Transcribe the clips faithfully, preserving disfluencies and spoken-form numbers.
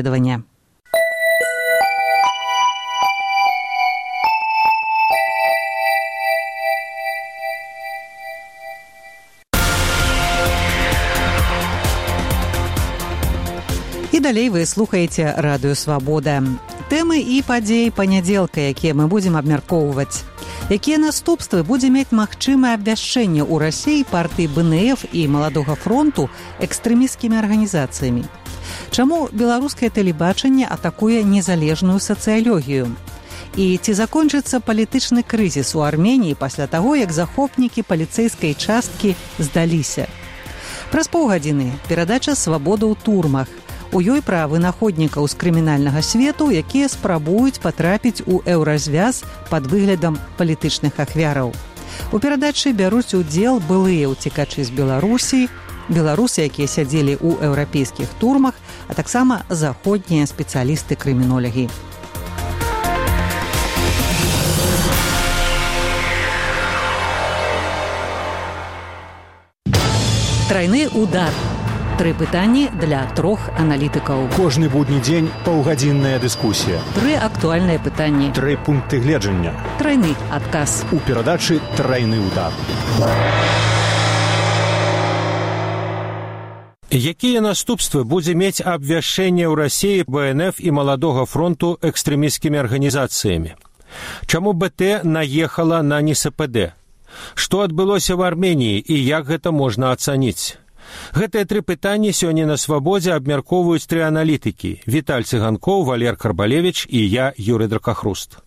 исследования. І далей вы слухаеце Радыё Свабода. Тэмы і падзеі панядзелка, якія мы будзем абмяркоўваць. Якія наступствы будзе мець магчымае абвяшчэнне ў Расіі партыі бэ эн эф і Маладога фронту экстрэмісцкімі арганізацыямі? Чаму беларускае тэлебачанне атакуе незалежную сацыялогію? І ці закончыцца палітычны крызіс у Арменіі пасля таго, як захопнікі паліцэйскай часткі здаліся? Праз паўгадзіны перадача «Свабода ў турмах». У ёй пра вынаходнікаў з крымінальнага свету, якія спрабуюць патрапіць у еўразвяз пад выглядам палітычных ахвяраў. У перадачы бяруць удзел былыя ўцекачы з Беларусі, беларусы, якія сядзелі ў еўрапейскіх турмах, а таксама заходнія спецыялісты-крымінолагі. Трайны удар. Тры пытанні для трох аналітыкаў. Кожны будні дзень паўгадзінная дыскусія. Тры актуальныя пытанні. Тры пункты гледжання. Трайны адказ. У перадачы «Трайны удар». Якія наступствы будзе мець абвяшчэнне ў Расіі бэ эн эф і Маладога фронту экстрэмісцкімі арганізацыямі? Чаму бэ тэ наехала на эн эс пэ дэ? Што адбылося ў Арменіі і як гэта можна ацаніць? Гэтыя тры пытанні сёння на Свабодзе абмяркоўваюць тры аналітыкі – Віталь Цыганкоў, Валер Карбалевіч і я, Юрый Дракахруст.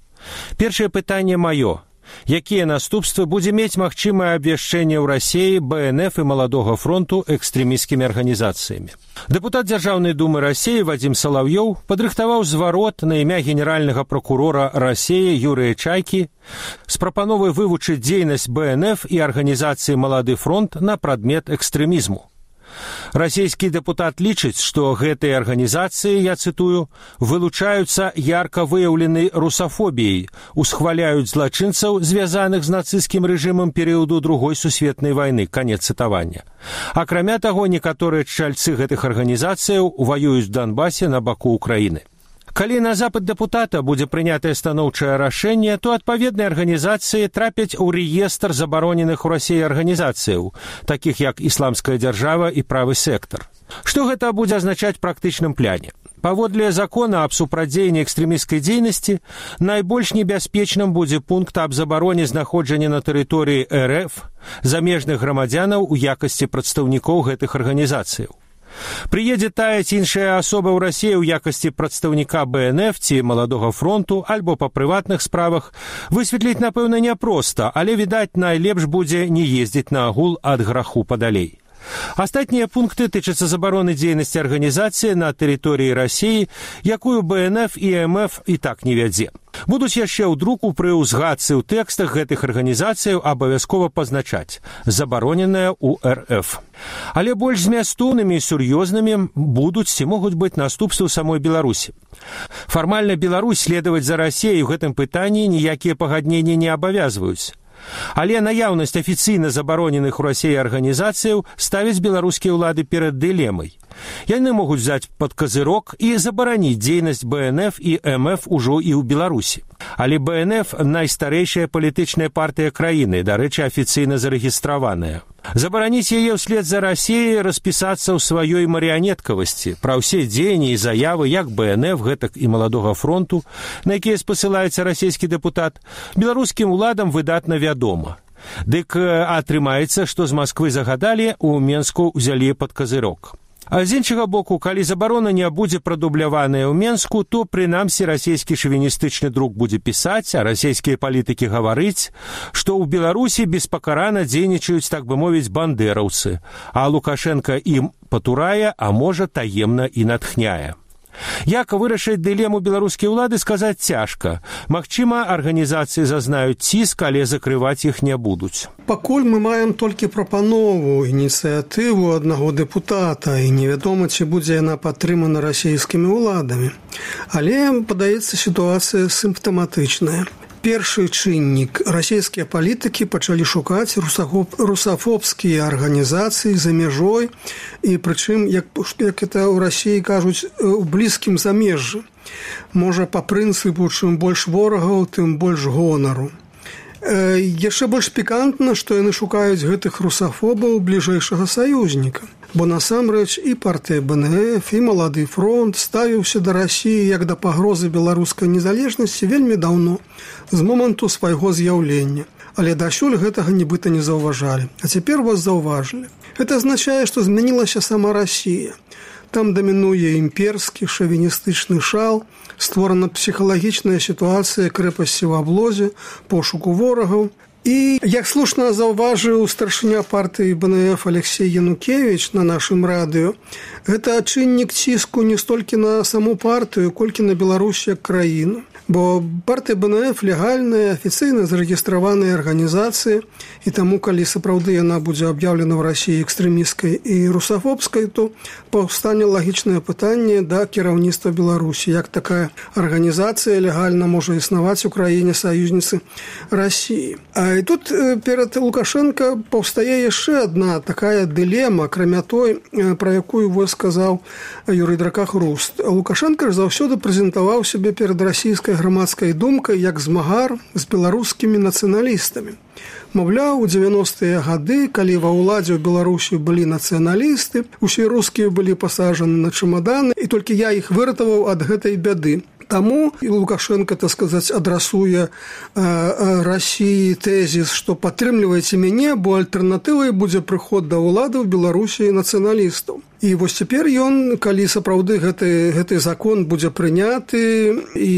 Першае пытанне маё. Якія наступствы будзе мець магчымае абвяшчэнне ў Расіі бэ эн эф і Маладога фронту экстрэмісцкімі арганізацыямі? Дэпутат Дзяржаўнай думы Расіі Вадзім Салаўёў падрыхтаваў зварот на імя генеральнага пракурора Расіі Юрыя Чайкі з прапановай вывучыць дзейнасць бэ эн эф і арганізацыі «Малады фронт» на прадмет экстрэмізму. Расійскі дэпутат лічыць, што гэтыя арганізацыі, я цытую, вылучаюцца ярка выяўленай русафобіяй, усхваляюць злачынцаў, звязаных з нацысцкім рэжымам перыяду Другой сусветнай вайны, канец цытавання. Акрамя таго, некаторыя чальцы гэтых арганізацыяў ваююць у Донбасе на баку Украіны. Калі на запыт дэпутата будзе прынятае станоўчае рашэнне, то адпаведныя арганізацыі трапяць у рэестр забароненых у Расіі арганізацыяў, такіх як Ісламская дзяржава і Правы сектар. Што гэта будзе азначаць у практычным пляне? Паводле закона аб супрацьдзеянні экстрэмісцкай дзейнасці, найбольш небяспечным будзе пункт аб забароне знаходжання на тэрыторыі эр эф замежных грамадзянаў у якасці прадстаўнікоў гэтых арганізацыяў. Прыедзе тая ці іншая асоба ў Расіі ў якасці прадстаўніка бэ эн эф ці Маладога фронту альбо па прыватных справах, высветліць, напэўна, няпроста, але, відаць, найлепш будзе не ездзіць на агул ад граху падалей. Астатнія пункты тычацца забароны дзейнасці арганізацыі на тэрыторыі Расіі, якую бэ эн эф і эм эф і так не вядзе. Будуць яшчэ ў друку пры ўзгадцы ў тэкстах гэтых арганізацыяў абавязкова пазначаць «забароненая ў эр эф». Але больш змястоўнымі і сур'ёзнымі будуць ці могуць быць наступствы ў самой Беларусі. Фармальна Беларусь следаваць за Расіяй у гэтым пытанні ніякія пагадненні не абавязваюць. Але наяўнасць афіцыйна забароненых у Расіі арганізацыяў ставіць беларускія ўлады перад дылемай. Яны могуць взяць пад казырок і забараніць дзейнасць бэ эн эф і эм эф ужо і ў Беларусі. Але бэ эн эф – найстарэйшая палітычная партыя краіны, дарэчы, афіцыйна зарэгістраваная. Забараніць яе ўслед за Расіяй распісацца ў сваёй марыянеткавасці пра ўсе дзеянні і заявы як бэ эн эф, гэтак і Маладога фронту, на якія спасылаецца расійскі дэпутат, беларускім уладам выдатна вядома. Дык атрымаецца, што з Масквы загадалі, у Менску ўзялі пад казырок. А з іншага боку, калі забарона не будзе прадубляваная ў Менску, то, прынамсі, расійскі шавіністычны друк будзе пісаць, а расійскія палітыкі гаварыць, што ў Беларусі беспакарана дзейнічаюць, так бы мовіць, бандэраўцы, а Лукашенка ім патурае, а можа, таемна і натхняе. Як вырашыць дылему беларускай улады, сказаць цяжка. Магчыма, арганізацыі зазнаюць ціск, але закрываць іх не будуць. Пакуль мы маем толькі прапанову, ініцыятыву аднаго дэпутата, і невядома, ці будзе яна падтрымана расійскімі ўладамі. Але, падаецца, сітуацыя сімптаматычная. Першы чыннік. Расійскія палітыкі пачалі шукаць русафобскія арганізацыі за мяжой, і прычым, як, як это ў Расіі кажуць, у блізкім замежжы. Можа, па прынцыпу, чым больш ворагаў, тым больш гонару. Яшчэ больш пікантна, што яны шукаюць гэтых русафобаў бліжэйшага саюзніка. Бо насамрэч і партыя бэ эн эф, і Малады фронт ставіўся да Расіі як да пагрозы беларускай незалежнасці вельмі даўно, з моманту свайго з'яўлення. Але дасюль гэтага нібыта не заўважалі. А цяпер вас заўважылі. Гэта азначае, што змянілася сама Расія. Там дамінуе імперскі шавіністычны шал, створана псіхалагічная сітуацыя крэпасці ў аблозе, пошуку ворагаў. І, як слушна заўважыў старшыня партыі бэ эн эф Алексей Янукевіч на нашым радыё, гэта чыннік ціску не столькі на саму партыю, колькі на Беларусь як краіну. Бо партыя бэ эн эф легальная, афіцыйна зарэгістраваная арганізацыя, і таму, калі сапраўды яна будзе аб'яўлена ў Расіі экстрэмісткай і русафобскай, то паўстане лагічнае пытанне да кіраўніцтва Беларусі, як такая арганізацыя легальна можа існаваць у краіне саюзніцы Расіі. А і тут перад Лукашенко паўстае яшчэ адна такая дылема, акрамя той, пра якую вось сказаў Юрый Дракахруст. Лукашенко ж заўсёды прэзентаваў сябе перад расійскай грамадскай думкай як змагар з беларускімі нацыяналістамі. Маўляў, у дзевяностыя гады, калі ва ўладзе ў Беларусі былі нацыяналісты, усе рускія былі пасажаны на чамаданы, і толькі я іх выратаваў ад гэтай бяды. Таму і Лукашенко, так сказаць, адрасуе э, э, Расіі тэзіс, што падтрымлівайце мяне, бо альтэрнатывай будзе прыход да ўлады ў Беларусі нацыяналістаў. І вось цяпер ён, калі сапраўды гэты, гэты закон будзе прыняты і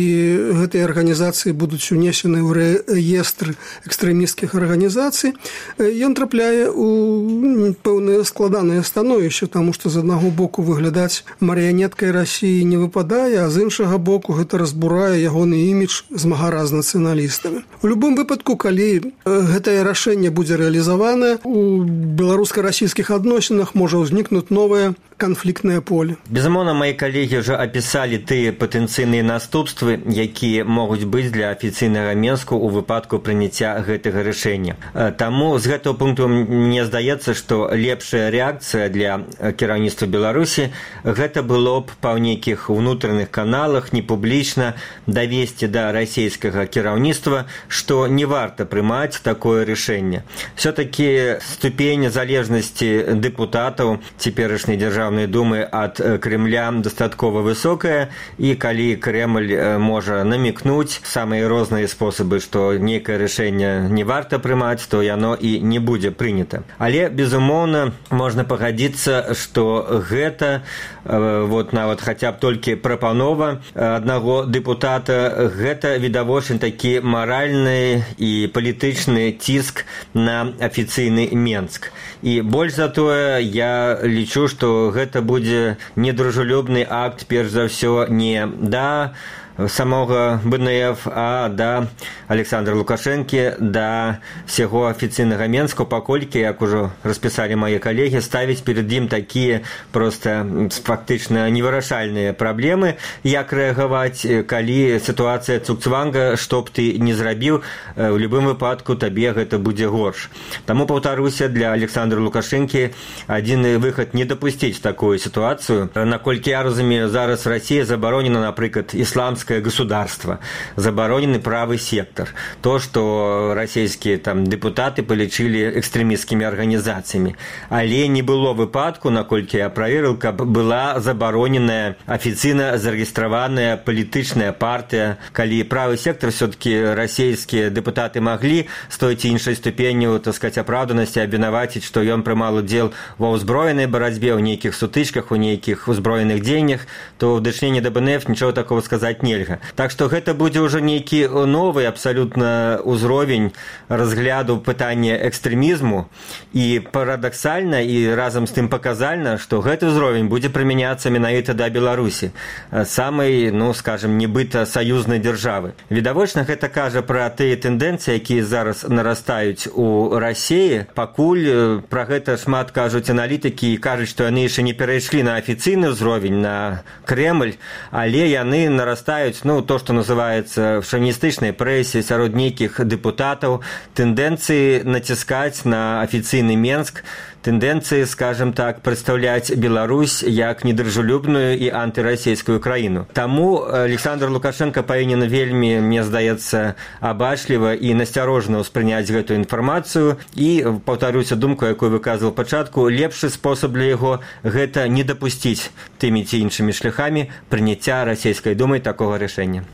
гэтыя арганізацыі будуць унесены ў рэестр экстрэмісцкіх арганізацый, ён трапляе ў пэўнае складанае становішча, таму што з аднаго боку выглядаць марыянеткай Расіі не выпадае, а з іншага боку гэта разбурае ягоны імідж змагара з нацыяналістамі. У любым выпадку, калі гэтае рашэнне будзе рэалізаванае, у беларуска-расійскіх адносінах можа ўзнікнуць новае канфліктнае поле. Безумоўна, мои калегі ўжо апісалі тыя патэнцыйныя наступствы, якія могуць быць для афіцыйнага Менску ў выпадку прыняцця гэтага рашэння. Таму з гэтага пункту мне здаецца, што лепшая рэакцыя для кіраўніцтва Беларусі гэта было б па нейкіх унутраных каналах непублічна давесці да расійскага кіраўніцтва, што не варта прымаць такое рашэнне. Все-таки ступень залежнасці дэпутатаў цяперашняй Дзяржаўнай думы ад Крэмля дастаткова высокая, і калі Крэмль можа намікнуць самыя розныя спосабы, што нейкае рашэнне не варта прымаць, то яно і не будзе прынята. Але, безумоўна, можна пагадзіцца, што гэта вот нават хаця б толькі прапанова аднаго дэпутата, гэта відавочна такі маральны і палітычны ціск на афіцыйны Менск. І больш за тое, я лічу, што гэта будзе недружелюбны акт, перш за ўсё, не да самого бэ эн эф, а да Александра Лукашэнкі, да всего афіцыйнага Менску, паколькі, як ужо распісалі мае калегі, ставіць перад ім такія проста фактычна невырашальныя праблемы, як рэагаваць, калі сітуацыя цукцванга, што б ты не зрабіў, у любым выпадку табе гэта будзе горш. Таму, паўтаруся, для Александра Лукашэнкі адзіны выхад не дапусціць такую сітуацыю. Наколькі я разумею, зараз Расія забаронена, напрыклад, ісламская государство, забороненный правый сектор. То, что российские там депутаты полічили экстремистскими организациями. Але не было выпадку, наколькі я проверил, каб была забороненная официально зарегистрованная политичная партия. Калі правый сектор, все-таки российские депутаты могли с той ці іншай ступенью, так сказать, оправданности обвинаваціць, что ён прымал удзел ва ўзброенай барацьбе, у нейкіх сутычках, у нейкіх узброеных дзеяннях, то в дачыненні да бэ эн эф ничего такого сказать не. Так што гэта будзе ўжо нейкі новы абсалютна ўзровень разгляду пытання экстрэмізму, і парадаксальна і разам з тым паказальна, што гэты ўзровень будзе прымяняцца менавіта да Беларусі, самай, ну, скажем, нібыта саюзнай дзяржавы. Відавочна, гэта кажа пра тыя тэндэнцыі, якія зараз нарастаюць у Расіі. Пакуль пра гэта шмат кажуць аналітыкі і кажуць, што яны яшчэ не перайшлі на афіцыйны ўзровень, на Крэмль, але яны нарастаюць наблюдаюць, ну, то, што называецца в шавіністычнай прэсе сярод нейкіх дэпутатаў, тэндэнцыі націскаць на афіцыйны Менск, тэндэнцыі, скажем так, прадстаўляць Беларусь як недружелюбную і антырасійскую краіну. Таму Александр Лукашенко павінен вельмі, мне здаецца, абачліва і насцярожна ўспрыняць гэтую інфармацыю і, паўтаруся думку, якую выказваў пачатку, лепшы спосаб для яго гэта не дапусціць тымі ці іншымі шляхамі прыняцця расійскай думай такога рашэння.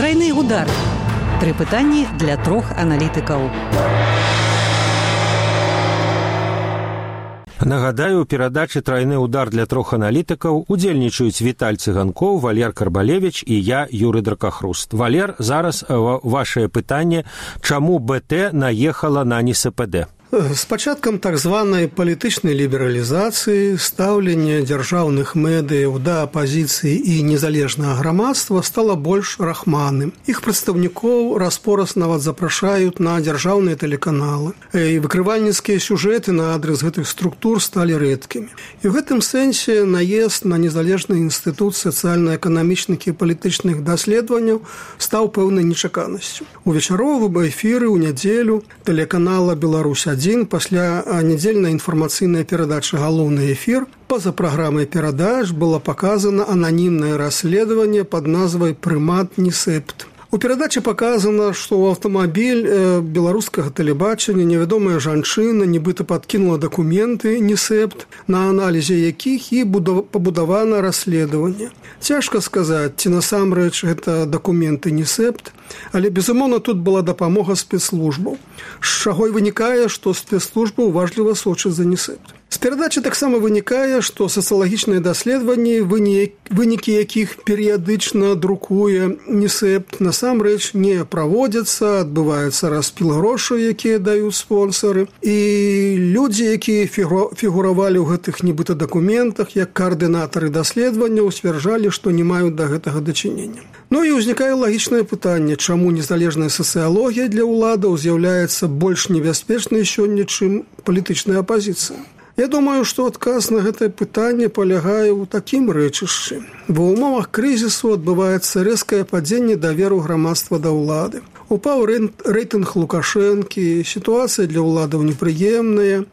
Трайны удар. Тры пытанні для трох аналітыкаў. Нагадаю, у перадачы «Трайны удар» для трох аналітыкаў удзельнічаюць Віталь Цыганкоў, Валер Карбалевіч і я, Юры Дракахруст. Валер, зараз вашае пытанне, чаму БТ наехала на НСПД? З пачаткам так званай палітычнай лібералізацыі стаўленне дзяржаўных медыяў да апазіцыі і незалежнага грамадства стала больш рахманым. Іх прадстаўнікоў раз-пораз нават запрашаюць на дзяржаўныя тэлеканалы. І выкрывальніцкія сюжэты на адрес гэтых структур сталі рэдкімі. І ў гэтым сэнсе наезд на незалежны інстытут сацыяльна-эканамічных і палітычных даследаванняў стаў пэўнай нечаканасцю. У вечаровым эфіры ў нядзелю тэлеканала «Беларусь адзін» пасля нядзельнай інфармацыйнай перадачы «Галоўны эфір» па-за праграмай перадач было паказана ананімнае расследаванне пад назвай «Прымат Нісепт». У перадачы паказана, што ў аўтамабіль беларускага тэлебачання невядомая жанчына нібыта падкінула дакументы Нісепт, на аналізе якіх і пабудавана расследаванне. Цяжка сказаць, ці насамрэч гэта дакументы Нісепт, але, безумоўна, тут была дапамога спецслужбаў, з чаго і вынікае, што спецслужбы уважліва сочаць за Нісепт. З перадачы таксама вынікае, што сацыялагічныя даследаванні, вынікі якіх перыядычна друкуе Нісепт, насамрэч не праводзяцца, адбываецца распіл грошай, якія даюць спонсары. І людзі, якія фігуравалі ў гэтых нібыта дакументах, як каардынатары даследаванняў, сцвярджалі, што не маюць да гэтага дачынення. Ну і ўзнікае лагічнае пытанне, чаму незалежная сацыялогія для ўладаў з'яўляецца больш небяспечнай сёння, чым палітычная апазіцыя. Я думаю, што адказ на гэтае пытанне палягае ў такім рэчышчы. Ва ўмовах крызісу адбываецца рэзкае падзенне даверу грамадства да ўлады. Упаў рэйтынг Лукашэнкі, сітуацыя для ўладаў непрыемная.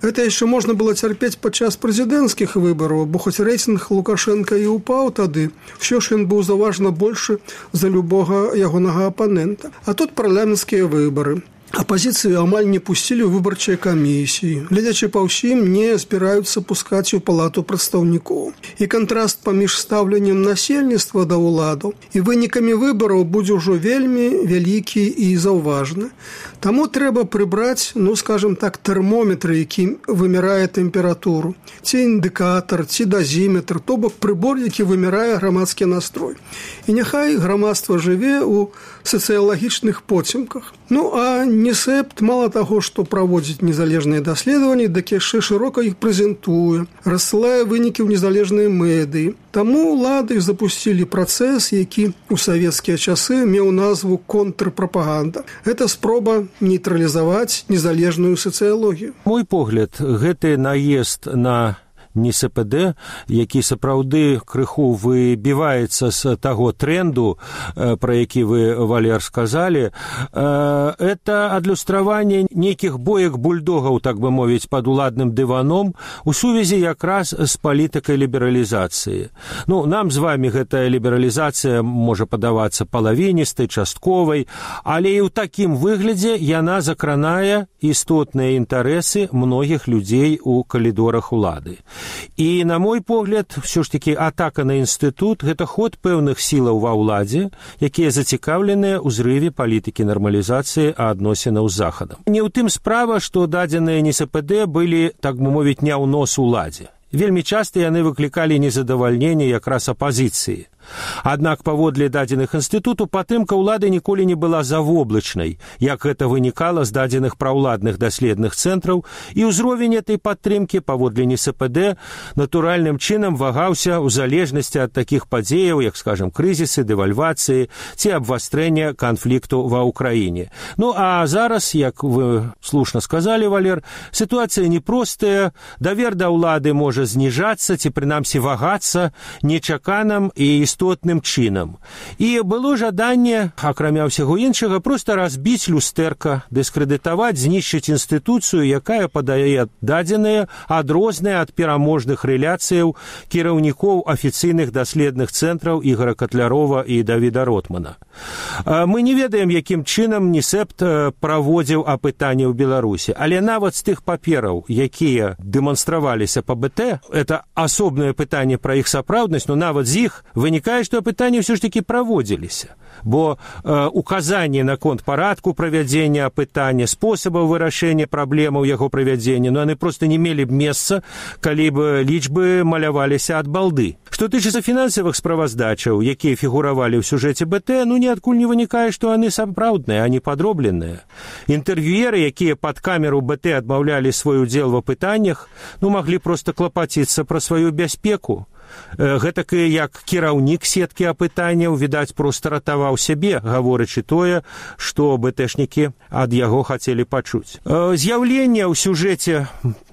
Гэта яшчэ можна было цярпець падчас прэзідэнцкіх выбараў, бо хоць рэйтынг Лукашэнка і упаў тады, ўсё ж ён быў заўважна большы за любога ягонага апанента. А тут парламенцкія выбары. Апазіцыю амаль не пусцілі ў выбарчыя камісіі. Глядзячы па ўсім, не збіраюцца пускаць у палату прадстаўнікоў. І кантраст паміж стаўленнем насельніцтва да ўладаў і вынікамі выбараў будзе ўжо вельмі вялікі і заўважны. Таму трэба прыбраць, ну, скажем так, тэрмометр, які вымярае тэмпературу, ці індыкатар, ці дазіметр, то бок прыбор, які вымярае грамадскі настрой. І няхай грамадства жыве ў сацыялагічных поцемках. Ну, а Нісепт мала таго, што праводзіць незалежныя даследаванні, дак яшчэ шырока іх прэзентуе, рассылае вынікі ў незалежныя медыі. Таму ўлады запусцілі працэс, які ў савецкія часы меў назву контрпрапаганда. Гэта спроба нейтралізаваць незалежную сацыялогію. Мой погляд, гэты наезд на НСПД, які сапраўды крыху выбіваецца з таго тренду, пра які вы, Валер, сказалі, это адлюстраванне нейкіх боек бульдогаў, так бы мовіць, пад уладным дываном у сувязі якраз з палітыкай лібералізацыі. Ну, нам з вами гэтая лібералізацыя можа падавацца палавіністай, частковай, але і ў такім выглядзе яна закранае істотныя інтарэсы многіх людзей у калідорах улады. І, на мой погляд, все ж таки атака на інстытут – гэта ход пэўных сілаў ва ўладзе, якія зацікаўленыя ў зрыве палітыкі нармалізацыі адносінаў з Захадам. Не ў тым справа, што дадзеныя НСПД былі, так бы мовіць, не ў нос уладзе. Вельмі часта яны выклікалі незадавальненне якраз апазіцыі. Аднак, паводле дадзеных інстытуту, падтрымка ўлады ніколі не была завоблачнай, як гэта вынікала з дадзеных праўладных даследных цэнтраў, і ўзровень этой падтрымкі, паводле НСПД, натуральным чынам вагаўся ў залежнасці ад такіх падзеяў, як, скажем, крызісы, дэвальвацыі ці абвастрэння канфлікту ва ўкраіне. Ну, а зараз, як вы слушна сказалі, Валер, сітуацыя непростая, давер да ўлады можа зніжацца ці, прынамсі, вагацца нечаканым і істотным чынам. І было жаданне, акрамя ўсяго іншага, проста разбіць люстэрка, дыскрэдытаваць, знішчыць інстытуцыю, якая падае дадзеныя, адрозныя ад пераможных рэляцыяў кіраўнікоў афіцыйных даследных цэнтраў Ігора Катлярова і Давіда Ротмана. Мы не ведаем, якім чынам НІСЭПТ праводзіў апытанне ў Беларусі, але нават з тых папераў, якія дэманстраваліся па БТ, это асобнае пытанне пра іх сапраўднасць, но нават з іх вынікае, што апытанні ўсё ж такі праводзіліся. Бо э, указанні наконт парадку правядзення апытання, спосабаў вырашэння праблемаў яго правядзення, но яны проста не мелі б месца, калі б лічбы маляваліся ад балды. Што тычыцца фінансавых справаздачаў, якія фігуравалі ў сюжэце БТ, ну ніадкуль не вынікае, што яны сапраўдныя, а не падробленыя. Інтэрв'юеры, якія пад камеру БТ адмаўлялі свой удзел в апытаннях, ну маглі проста клапаціцца пра сваю бяспеку. Гэтакі, як кіраўнік сеткі апытанняў, відаць, проста ратаваў сябе, гаворачы тое, што бэтэшнікі ад яго хацелі пачуць. З'яўленне ў сюжэце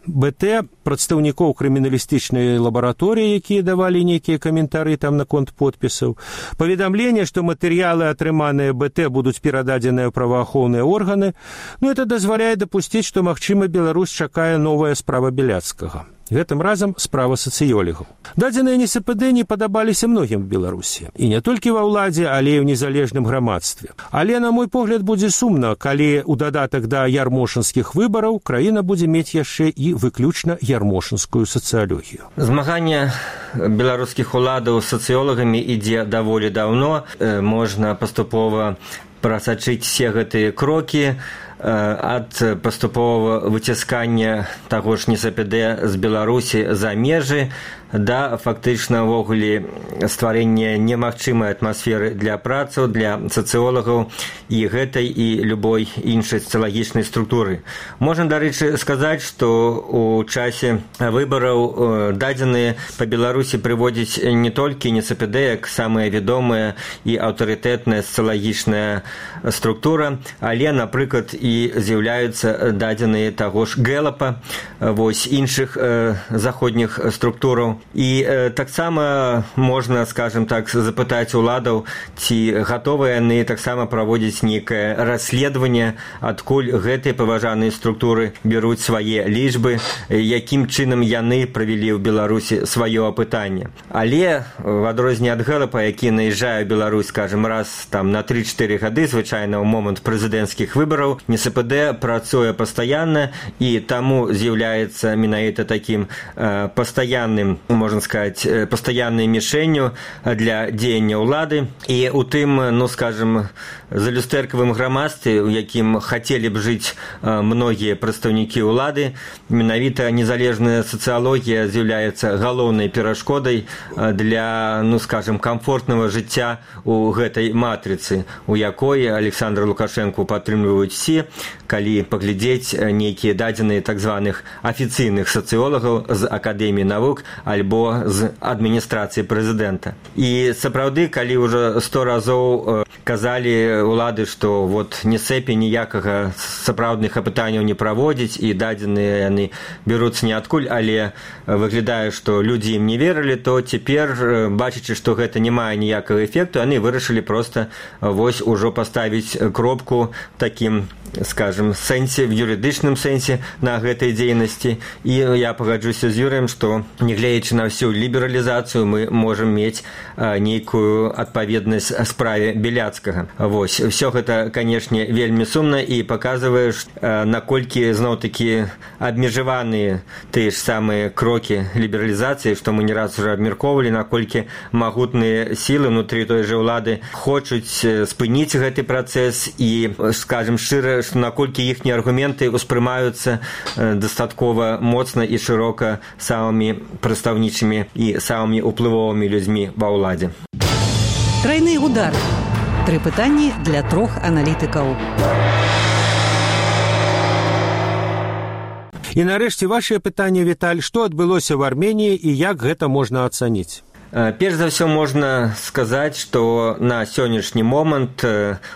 БТ прадстаўнікоў крыміналістычнай лабараторыі, якія давалі нейкія каментары там наконт подпісаў, паведамленне, што матэрыялы, атрыманыя БТ, будуць перададзеныя ў праваахоўныя органы, ну, это дазваляе дапусціць, што, магчыма, Беларусь чакае новая справа Беляцкага. Гэтым разам справа сацыёлігаў. Дадзеныя НІСПД не падабаліся многім в Беларусі. І не толькі ва ўладзе, але і ў незалежным грамадстве. Але, на мой погляд, будзе сумна, калі ў дадатак да ярмошынскіх выбараў краіна будзе мець яшчэ і выключна ярмошынскую сацыялогію. Змаганне беларускіх уладаў з сацыёлагамі ідзе даволі даўно. Можна паступова прасачыць все гэтыя крокі ад паступовага выціскання таго ж НІСПД з Беларусі за межы да фактычна ўвогуле стварэння немагчымай атмасферы для працаў, для сацыолагаў і гэтай і любой іншай сацыялагічнай структуры. Можна, дарэчы, сказаць, што ў часе выбараў дадзеныя па Беларусі прыводзіць не толькі НІСПД, як самая вядомая і аўтарытэтная сацыялагічная структура, але, напрыклад, і з'яўляюцца дадзеныя таго ж Гэлапа, вось іншых э, заходніх структураў. І э, таксама можна, скажем так, запытаць уладаў, ці гатовыя яны таксама праводзіць нейкае расследаванне, адкуль гэтыя паважаныя структуры бяруць свае лічбы, якім чынам яны правялі ў Беларусі сваё апытанне. Але в адрозненне ад Гэлапа, які наязджае ў Беларусь, скажем, раз там на тры-чатыры гады, звычайна ў момант прэзідэнцкіх выбараў, НІСПД працуе пастаянна і таму з'яўляецца менавіта такім э, пастаянным, можна сказаць, пастаяннай мішэнню для дзеяння ўлады. І у тым, ну, скажем, залюстэркавым грамадстве, у якім хацелі б жыць многія прадстаўнікі ўлады, менавіта незалежная сацыялогія з'яўляецца галоўнай перашкодай для, ну, скажем, комфортнага жыцця у гэтай матрыцы, у якой Александра Лукашэнку падтрымліваюць все, калі паглядзець нейкія дадзеныя так званых афіцыйных сацыолагаў з Акадэміі навук альбо з адміністрацыі прэзідэнта. І сапраўды, калі ўжо сто разоў казалі ўлады, што вот НІСЭПе ніякага сапраўдных апытанняў не праводзіць і дадзеныя яны бяруцца ніадкуль, але выглядае, што людзі ім не верылі, то цяпер, бачачы, што гэта не мае ніякага эфекту, яны вырашылі проста вось ужо паставіць кропку такім, скажем, сэнсе, в юрыдычным сэнсе на гэтай дзейнасці. І я пагаджуся з Юрыем, што нягледзячы на всю лібералізацыю мы можам мець а, нейкую адпаведнасць справе Беляцкага. Вось, все гэта, канешне, вельмі сумна і паказвае, а, наколькі зноў-такі абмежаваныя тыя ж самыя крокі лібералізацыі, што мы не раз уже абмяркоўвалі, наколькі магутныя сілы внутры той жа ўлады хочуць спыніць гэты працэс і, скажем, шчыра, што наколькі іхнія аргументы ўспрымаюцца дастаткова моцна і шырока самымі прадстаўнічымі і самымі ўплывовымі людзьмі ва ўладзе. Трайны удар. Тры пытанні для трох аналітыкаў. І нарэшце вашае пытанне, Віталь, што адбылося в Арменіі і як гэта можна ацаніць? Перш за ўсё можна сказаць, што на сённяшні момант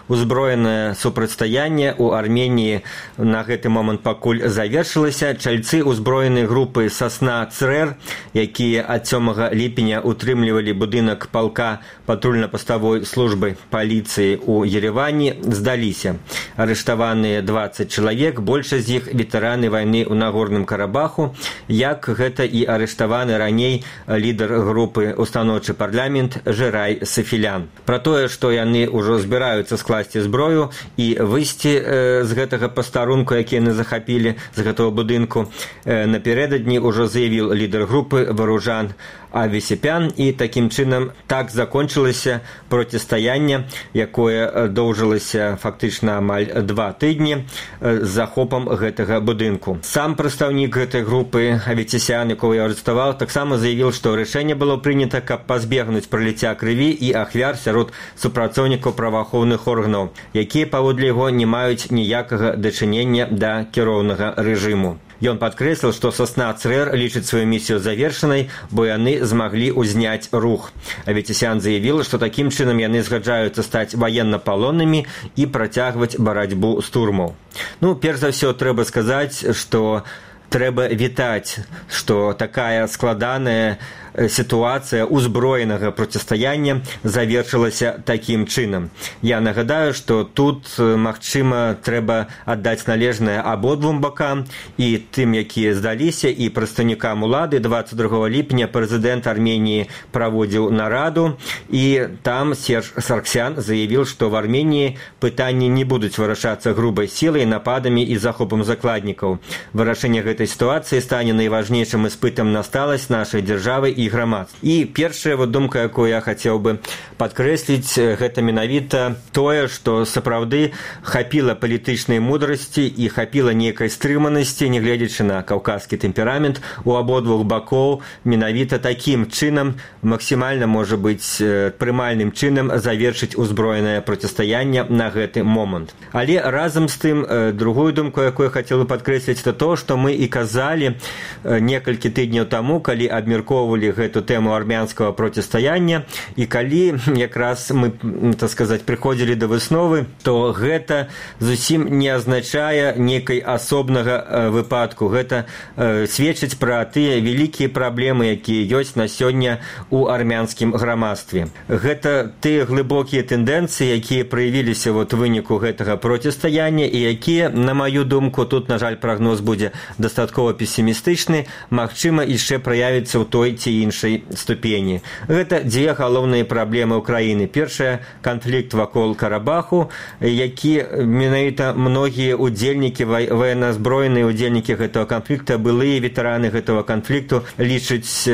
узброенае супрацьстаянне ў Арменіі на гэты момант пакуль завершылася. Чальцы узброенай групы «Сасна ЦРЭР», якія ад сёмага ліпеня утрымлівалі будынак палка патрульна-паставой службы паліцыі ў Ереване, здаліся. Арыштаваныя дваццаць чалавек, большасць з іх ветэраны вайны ў Нагорным Карабаху, як гэта і арыштаваны раней лідар групы устаноўчы парламент Жэрай Сафілян. Пра тое, што яны ўжо збіраюцца скласці зброю і выйсці э, з гэтага пастарунку, які яны захапілі з гэтага будынку, э, напярэдадні ўжо заявіў лідар групы Варужан Авесепян, і такім чынам так закончылася процістаянне, якое доўжылася фактычна амаль два тыдні з захопам гэтага будынку. Сам прадстаўнік гэтай групы Авесепян, якого я арыштаваў, таксама заявіў, што рашэнне было прынята, каб пазбегнуць праліцця крыві і ахвяр сярод супрацоўнікаў праваахоўных органаў, якія паводле яго не маюць ніякага дачынення да кіроўнага рэжыму. Ён падкрэсліў, што «Сасна ЦРЭР» лічыць сваю місію завершанай, бо яны змаглі ўзняць рух. Авесепян заявіў, што такім чынам яны згаджаюцца стаць ваеннапалоннымі і працягваць барацьбу з турмаў. Ну, перш за ўсё трэба сказаць, што трэба вітаць, што такая складаная сітуацыя узброенага процістаяння завершылася такім чынам. Я нагадаю, што тут, магчыма, трэба аддаць належнае абодвум бакам, і тым, якія здаліся, і прадстаўнікам улады. Дваццаць другога ліпеня прэзідэнт Арменіі праводзіў нараду, і там Серж Сарксян заявіў, што в Арменіі пытанні не будуць вырашацца грубай сілай, нападамі і захопам закладнікаў. Вырашэнне гэтай сітуацыі стане найважнейшым іспытам на сталасць нашай дзяржавы і грамадства. І першая вот думка, якую я хацеў бы падкрэсліць, гэта менавіта тое, што сапраўды хапіла палітычнай мудрасці і хапіла нейкай стрыманасці, нягледзячы на каўказскі тэмперамент, у абодвух бакоў менавіта такім чынам, максімальна, можа быць, прымальным чынам завершыць узброенае процістаянне на гэты момант. Але разам з тым, другую думку, якую я хацеў бы падкрэсліць, это то, што мы і казалі некалькі тыдняў таму, калі абмяркоўвалі гэту тэму армянскага процістаяння, і калі якраз мы, так сказаць, прыходзілі да высновы, то гэта зусім не азначае нейкай асобнага выпадку. Гэта сведчыць пра тыя вялікія праблемы, якія ёсць на сёння ў армянскім грамадстве. Гэта тыя глыбокія тэндэнцыі, якія праявіліся вот выніку гэтага процістаяння, і якія, на маю думку, тут, на жаль, прагноз будзе дастаткова песімістычны, магчыма, яшчэ праявіцца ў той ці іншай ступені. Гэта дзве галоўныя праблемы ўкраіны. Першая – канфлікт вакол Карабаху, які менавіта многія удзельнікі, военназброеныя удзельнікі гэтага канфлікта, былыя ветэраны гэтага канфлікту лічаць,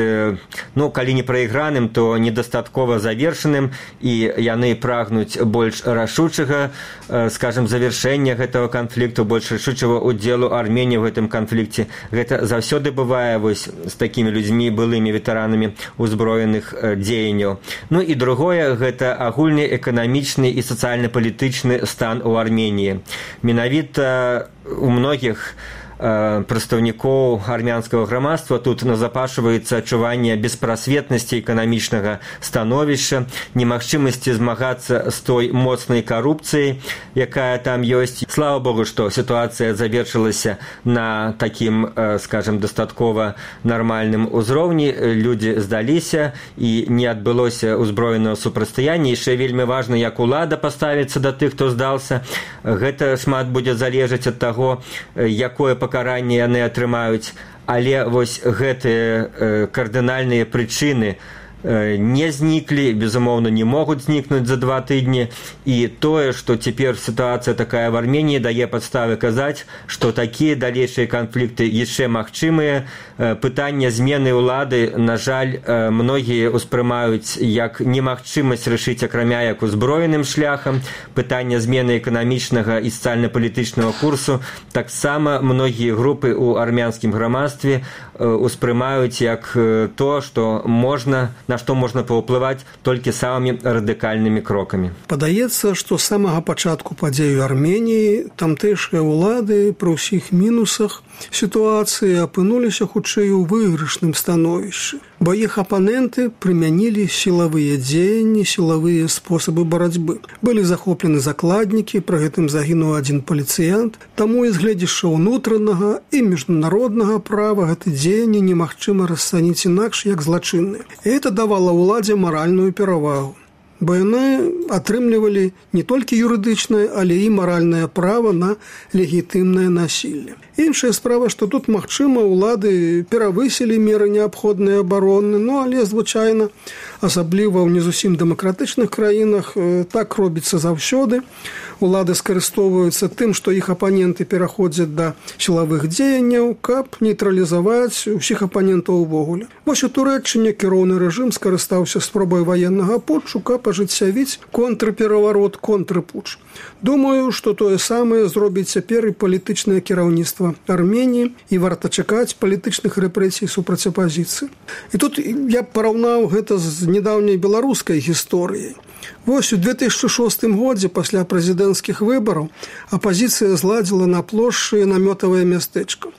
ну, калі не прайграным, то недастаткова завершаным, і яны прагнуць больш рашучага, скажем, завершэння гэтага канфлікту, больш рашучага удзелу Арменіі ў гэтым канфлікце. Гэта заўсёды бывае вось з такімі людзьмі, былымі ветэранамі узброеных дзеянняў. Ну і другое, гэта агульны эканамічны і сацыяльна-палітычны стан у Арменіі. Менавіта у многіх прадстаўнікоў армянскага грамадства тут назапашваецца адчуванне беспрасветнасці эканамічнага становішча, немагчымасці змагацца з той моцнай карупцыяй, якая там ёсць. Слава Богу, што сітуацыя завершылася на такім, скажем, дастаткова нармальным узроўні. Людзі здаліся і не адбылося ўзброенага супрацьстаяння. Яшчэ вельмі важна, як улада паставіцца да тых, хто здаўся. Гэта шмат будзе залежаць ад таго, якое пакаранне яны атрымаюць, але вось гэтыя э, кардынальныя прычыны э, не зніклі, безумоўна, не могуць знікнуць за два тыдні, і тое, што цяпер сітуацыя такая в Арменіі, дае падставы казаць, што такія далейшыя канфлікты яшчэ магчымыя. Э, пытанне змены ўлады, на жаль, э, многія ўспрымаюць як немагчымасць рашыць акрамя як узброеным шляхам. Пытанне змены эканамічнага і сацыяльна-палітычнага курсу таксама многія групы ў армянскім грамадстве успрымаюць як то, што можна, на што можна паўплываць толькі самымі радыкальнымі крокамі. Падаецца, што з самага пачатку падзей у Арменіі тамтэйшыя ўлады пры ўсіх мінусах сітуацыі апынуліся хутчэй у выйгрышным становішчы. бо іх апаненты прымянілі сілавыя дзеянні, сілавыя спосабы барацьбы. Былі захоплены закладнікі, пры гэтым загінуў адзін паліцыянт, таму і з гледзяшча ўнутранага і міжнароднага права гэта дзеянні немагчыма расцаніць інакш, як злачынныя. І гэта давала ўладзе маральную перавагу. Бо яны атрымлівалі не толькі юрыдычнае, але і маральнае права на легітымнае насілле. Іншая справа, што тут, магчыма, улады перавысілі меры неабходнай абароны, ну, але, звычайна, асабліва ў не зусім дэмакратычных краінах, так робіцца заўсёды. Улады скарыстоўваюцца тым, што іх апаненты пераходзяць да сілавых дзеянняў, каб нейтралізаваць усіх апанентаў увогуле. Вось у Турэччыне кіроўны рэжым скарыстаўся спробай ваеннага путчу, каб ажыццявіць контрпераварот, контрпутч. Думаю, што тое самае зробіць цяпер і палітычнае кіраўніцтва Арменіі, і варта чакаць палітычных рэпрэсій супраць апазіцыі. І тут я параўнаў гэта з нядаўняй беларускай гісторыяй. Вось у две тысячы шостым годзе пасля прэзідэнцкіх выбараў апазіцыя зладзіла на плошчы намётавае мястэчка.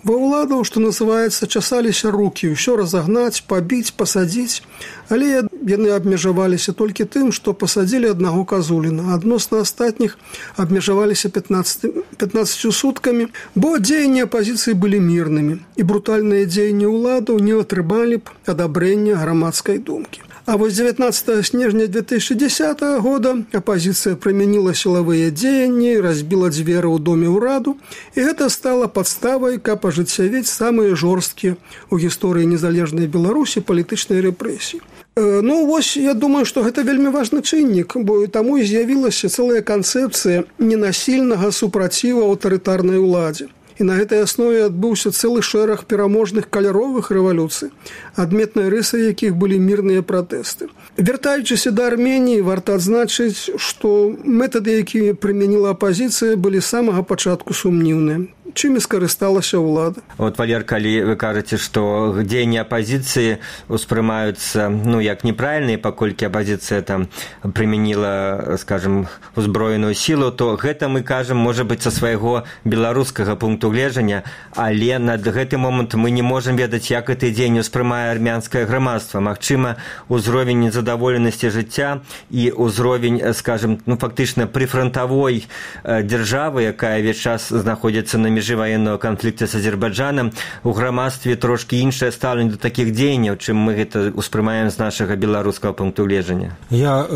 Ва ўладаў, што называецца, часаліся рукі, ўсё разагнаць, пабіць, пасадзіць, але яны абмежаваліся толькі тым, што пасадзілі аднаго Казуліна, адносна астатніх абмежаваліся пятнаццаццю суткамі, бо дзеянні апазіцыі былі мірнымі, і брутальныя дзеянні ўладаў не атрымалі б адабрэння грамадскай думкі. А вось дзевятнаццатага снежня две тысячы дзесятага года апазіцыя прымяніла сілавыя дзеянні, разбіла дзверы ў доме ўраду, і гэта стала падставай, каб ажыццявіць самыя жорсткія ў гісторыі незалежнай Беларусі палітычныя рэпрэсіі. Ну, вось, я думаю, што гэта вельмі важны чыннік, бо таму і з'явілася цэлая канцэпцыя ненасільнага супраціву аўтарытарнай уладзе. І на гэтай аснове адбыўся цэлы шэраг пераможных каляровых рэвалюцый, адметнай рысай якіх былі мірныя пратэсты. Вяртаючыся да Арменіі, варта адзначыць, што метады, якія прымяніла апазіцыя, былі з самага пачатку сумнеўныя. Чым і скарысталася ўлада. Вот, Валер, калі вы кажаце, што дзеянні апазіцыі успрымаюцца, ну, як неправільныя, паколькі апазіцыя там прымяніла, скажем, узброеную сілу, то гэта мы кажам, можа быць, са свайго беларускага пункту гледжання, але на гэты момант мы не можам ведаць, як гэты дзеянні успрымае армянскае грамадства. Магчыма, узровень незадаволенасці жыцця і ўзровень, скажем, ну, фактычна прыфрантавой дзяржавы, якая ўвесь час знаходзіцца на межы военного конфликта с Азербайджаном, у грамадстве трошки іншае стаўленне до таких дзеянняў, чым мы гэта успрымаем з нашага беларускага пункту гледжання. Я,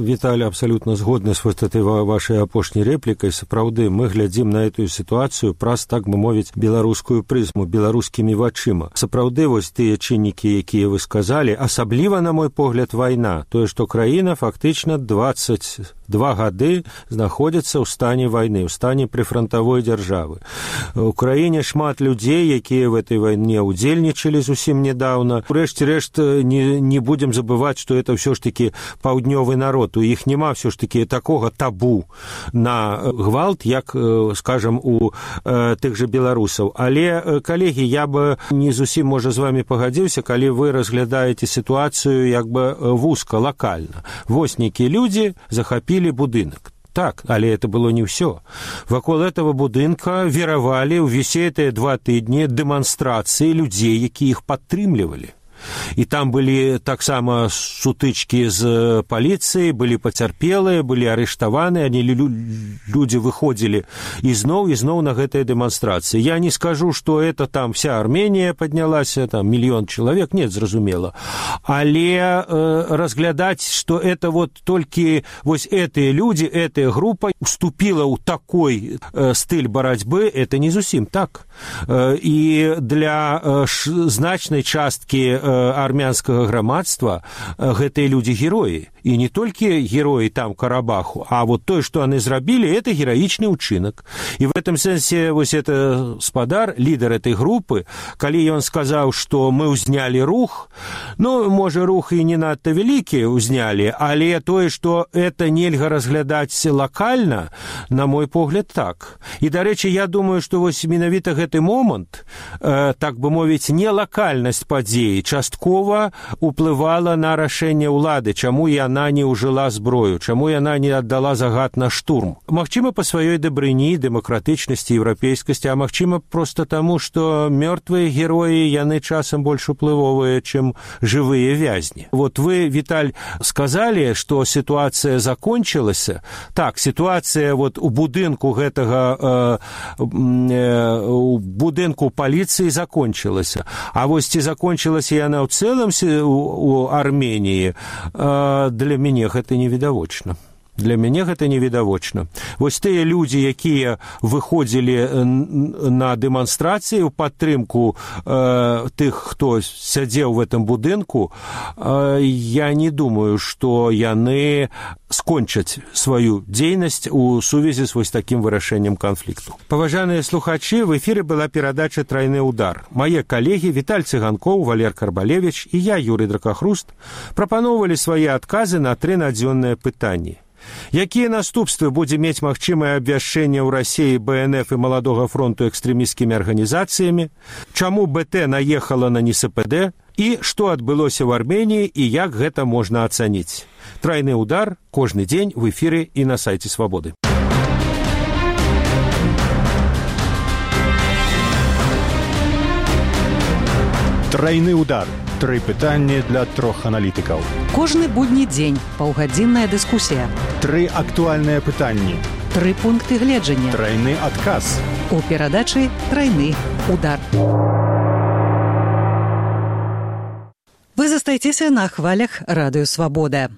Віталий, абсолютно згодны с вот этой вашей апошняй репликой. Сапраўды, мы глядзім на эту ситуацию праз, так бы мовіць, беларускую прызму, беларускімі вачыма. Сапраўды, вось тыя чыннікі, якія вы сказали, асабліва, на мой погляд, вайна, тое, што краіна фактычна двадцать два гады знаходзіцца ў стане вайны, ў стане прыфрантавой дзяржавы. У краіне шмат людзей, якія в этой вайне удзельнічалі зусім недавно. Урэшце рэшт, не, не будем забываць, што это ўсё ж таки паўднёвы народ. У іх няма ўсё ж таки такога табу на гвалт, як, скажем, у э, тых же беларусаў. Але, калегі, я бы не зусім, можа, з вами пагадзіўся, калі вы разглядаеце сітуацыю як бы вузка, лакальна. Вось нейкія людзі захапілі будынак. Так, але это было не ўсё. Вакол этого будынка веравалі ўвесь гэтыя два тыдні дэманстрацыі людзей, якія іх падтрымлівалі. І там былі таксама сутычкі з паліцыяй, былі пацярпелыя, былі арыштаваны, они людзі выходзілі ізноў, ізноў на гэтыя дэманстрацыі. Я не скажу, што это там вся Арменія паднялася, там мільён чалавек, нет, зразумела. Але э, разглядаць, што это вот толькі вось гэтыя людзі, гэтая група уступіла ў такой э, стыль барацьбы, это не зусім так. Э, і для э, ш, значнай часткі э, армянскага грамадства гэтыя людзі героі. І не толькі героі там Карабаху, а вот тое, што яны зрабілі, это гераічны ўчынак. І в этом сэнсе вось это спадар, лідар этой групы, калі ён сказаў, што мы ўзнялі рух, ну, можа, рух і не надта вялікі ўзнялі, але тое, што это нельга разглядаць лакальна, на мой погляд, так. І, дарэчы, я думаю, што вось менавіта гэты момант, э, так бы мовіць, не лакальнасць падзеі, часткова уплывала на рашэнне ўлады, чаму я яна не ўжыла зброю, чаму яна не аддала загад на штурм. Магчыма, па сваёй дабрыні, дэмакратычнасці, еўрапейскасці, а магчыма, проста таму, што мёртвыя героі, яны часам больш уплывовыя, чым жывыя вязні. Вот вы, Віталь, сказалі, што сітуацыя закончылася. Так, сітуацыя вот у будынку гэтага, э, э, у будынку паліцыі закончылася. А вось ці закончылася яна ў цэлым у Арменіі, э, для мяне гэта невідавочна. Для мяне гэта невідавочна. Вось тыя людзі, якія выходзілі на дэманстрацыі ў падтрымку э, тых, хто сядзеў в этом будынку, э, я не думаю, што яны скончаць сваю дзейнасць у сувязі з вось такім вырашэннем канфлікту. Паважаныя слухачы, в эфіры была перадача «Трайны удар». Мае калегі Віталь Цыганкоў, Валер Карбалевіч і я, Юрый Дракахруст, прапаноўвалі свае адказы на тры надзённыя пытанні. Якія наступствы будзе мець магчымае абвяшчэнне ў Расіі бэ эн эф і Маладога фронту экстрэмісцкімі арганізацыямі, чаму бэ тэ наехала на эн эс пэ дэ і што адбылося ў Арменіі і як гэта можна ацаніць. Трайны удар кожны дзень в эфіры і на сайце Свабоды. Трайны удар. Тры пытанні для трох аналітыкаў. Кожны будні дзень паўгадзінная дыскусія. Тры актуальныя пытанні. Тры пункты гледжання. Трайны адказ. У перадачы «Трайны удар». Вы застаецеся на хвалях радыё Свабода.